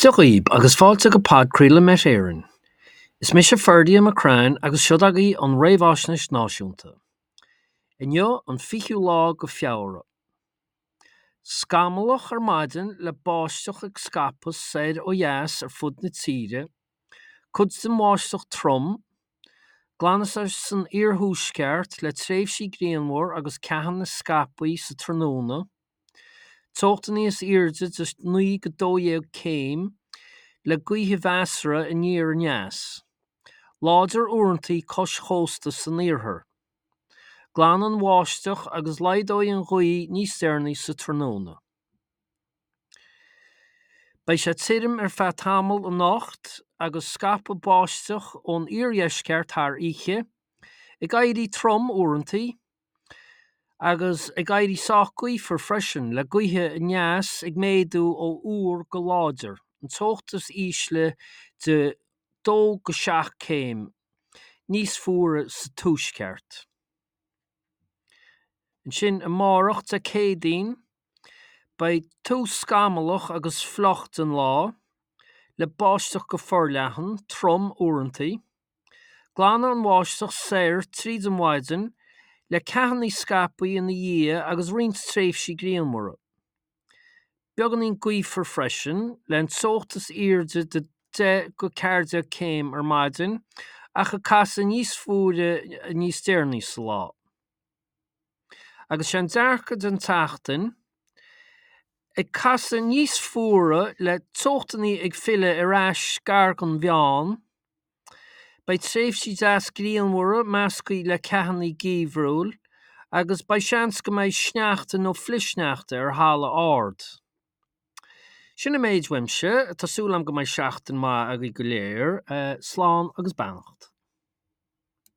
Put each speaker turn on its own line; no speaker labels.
Dia dhaoib agus fáilte go podchraoladh Met Éireann. Is mise Ferdia McCrann agus seo agaibh an Réamhaisnéis Náisiúnta. Inniu an 20ú lá go Feabhra. Scamallach ar maidin le báisteach ag scaipeadh soir ó dheas ar fud na tíre, cuid den bháisteach trom, Glanfaidh sé san iarthuaisceart le tréimhsí grianmhar agus ceathanna scaipthe sa tráthnóna. Teocht níos airde de 9-12 céim, le gaotha mheasartha aniar aneas. Láidir uaireanta cois chósta san iarthar. Glanfaidh an bháisteach agus laghdóidh an ghaoth níos deireanaí sa tráthnóna. Beidh sé tirim ar feadh tamaill anocht agus scaipfidh báisteach ón iardheisceart thar oíche, ag éirí trom uaireanta. Agus ag éirí sách gaofar freisin, le gaotha aneas ag méadú ó fhuar go láidir, an teocht is ísle de 2-7 céim níos fuaire sa tuaisceart. Ansin amárach, Dé Céadaoin, beidh tús scamallach agus fliuch den lá, le báisteach go forleathan, trom uaireanta. Glanfaidh an bháisteach soir tríd an mhaidin, le ceathanna scaipthe ina dhiaidh agus roinnt tréimhsí grianmhara. Beagáinín gaofar freisin, le an teocht is airde de 10-14 céim ar maidin ach ag casadh níos fuaire níos deireanaí sa lá. Agus sé an dearcadh don tseachtain, ag casadh níos fuaire le teochtanna ag filleadh ar ais gar don mheán, Beidh tréimhsí deas grianmhara measctha le ceathanna geimhriúil agus beidh seans go mbeidh sneachta nó flichshneachta ar thalamh ard. Sin an méid uaimse, tá súil agam go mbeidh seachtain maith agaibh go léir. Slán agus beannacht.